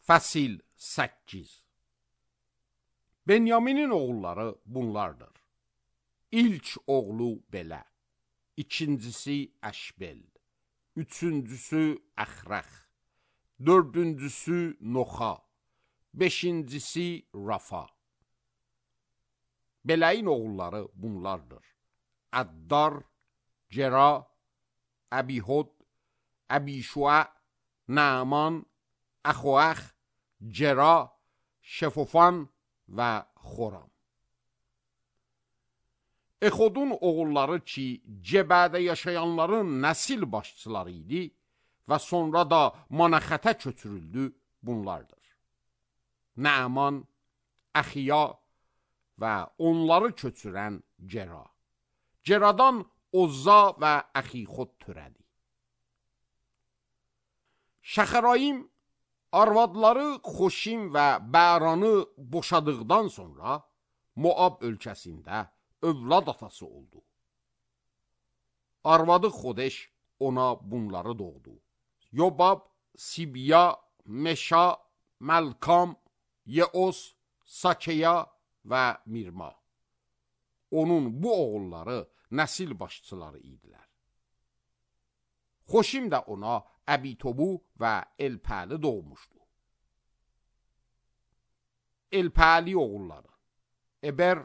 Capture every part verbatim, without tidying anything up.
Fəsil səkkiz. Benyaminin oğulları bunlardır. İlk oğlu belə, ikincisi Əşbel, üçüncüsü Əxrəx, dördüncüsü Noxa, beşincisi Rafa. Bələyin oğulları bunlardır. Əddar, Cera, Əbihud, Əbişua, Naaman, Əxoəx, Cera, Şefofan və Xoram. Exodun oğulları ki, Cebədə yaşayanların nəsil başçıları idi və sonra da Manaxətə köçürüldü, bunlardır. Naaman, Əxiya və onları köçürən Cera. Ceradan Ozza və Əxixod törədi. Şəxərayim arvadları Xoşim və Bəranı boşadıqdan sonra Moab ölkəsində övlad atası oldu. Arvadı Xodeş ona bunları doğdu. Yobab, Sibiya, Meşa, Məlkam, Yeos, Sakeya və Mirma. Onun bu oğulları nəsil başçıları idilər. Xoşim də ona Əbitobu və Elpəli doğmuşdu. Elpəli oğulları Eber,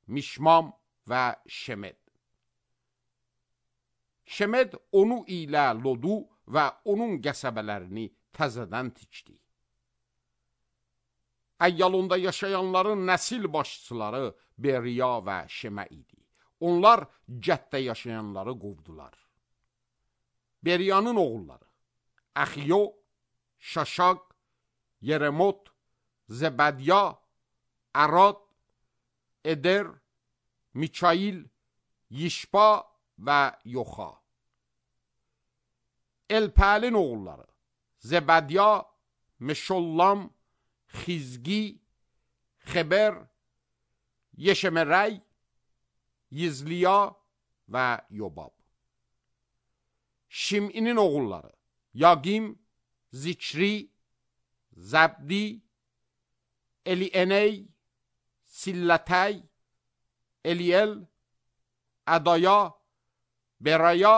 Mişmam və Şemed. Şemed onu ilə Lodu və onun qəsəbələrini təzədən tikdi. Əyyalonda yaşayanların nəsil başçıları Beriya və Şemə idi. Onlar Cəddə yaşayanları qovdular. Beriyanın oğulları Əxiyo, Şaşaq, Yeremot, Zebədya, Ərad, Eder, Mikail, Yişba və Yoxa. Elpəlin oğulları Zebədya, Meşollam, Xizgi, Xeber, Yeşemerəy, Yizliya və Yobab. Şiminin oğulları Yagim, Zikri, Zəbdi, Elieney, Sillətəy, Eliel, Ədaya, Beraya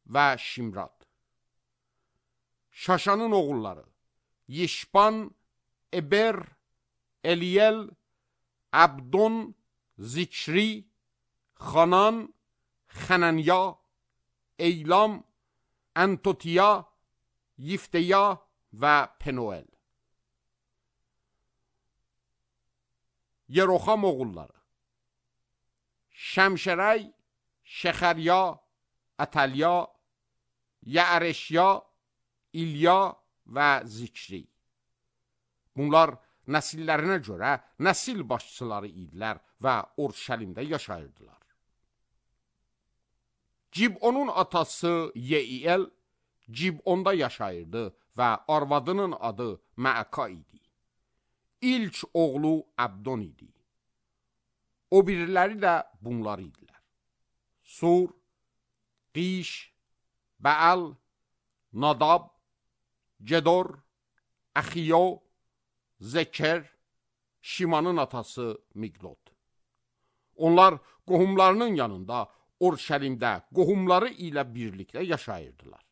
və Şimrad. Şaşanın oğulları Yişban, Eber, Eliel, Abdon, Zikri, Xanan, Xənənya, Eylam, Antotiya, Yifteya və Penuel. Yeroxam oğulları Şəmşərəy, Şəxərya, Ətəlya, Yəəreşya, İlya və Zikri. Bunlar nəsillərinə görə nəsil başçıları idilər və Orşəlimdə yaşayırdılar. Cibonun atası Yeiel Cibonda yaşayırdı və arvadının adı Məəka idi. İlk oğlu Abdon idi. O biriləri də bunlar idilər. Sur, Qiş, Bəal, Nadab, Cedor, Əxiyo, Zeker, Şimanın atası Miqlot. Onlar qohumlarının yanında Orşəlimdə qohumları ilə birlikdə yaşayırdılar.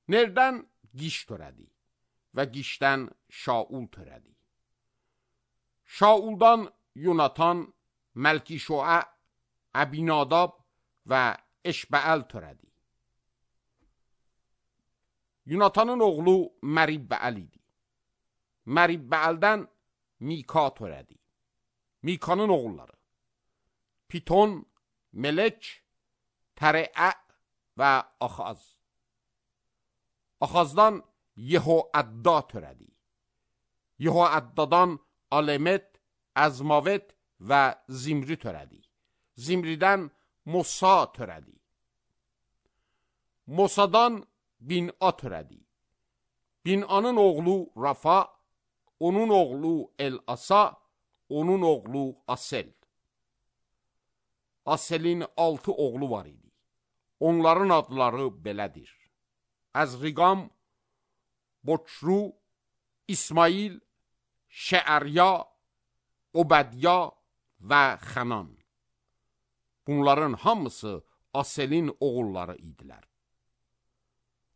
Nerdən Qiş törədi və Qişdən Şaul törədi. Şauldan Yonatan, Məlkişoə, Əbinadab və Eşbəəl törədi. Yonatanın oğlu Məribbəəl idi. Məribbəəldən Mika törədi. Mikanın oğulları Piton, Melek, Tərəə və Axaz. Axazdan Yehoədda törədi. Yehoəddadan Alemet, Əzmavet və Zimri törədi. Zimridən Mosa törədi. Mosadan Bin'a törədi. Bin'anın oğlu Rafa, onun oğlu El-Asa, onun oğlu Asel. Aselin altı oğlu var idi. Onların adları belədir: Əzriqam, Boçru, İsmail, Şeərya, Obədya və Xənan. Bunların hamısı Aselin oğulları idilər.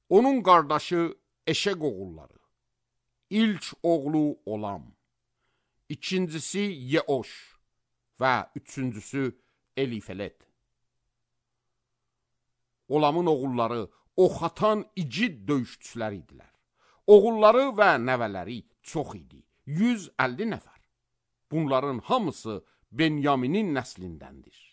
Onun qardaşı Eşeq oğulları. İlk oğlu Olam, ikincisi Yeoş və üçüncüsü Elifelet. Olamın oğulları ox atan igid döyüşçülər idilər. Oğulları və nəvələri çox idi, yüz əlli nəfər. Bunların hamısı Benyaminin nəslindəndir.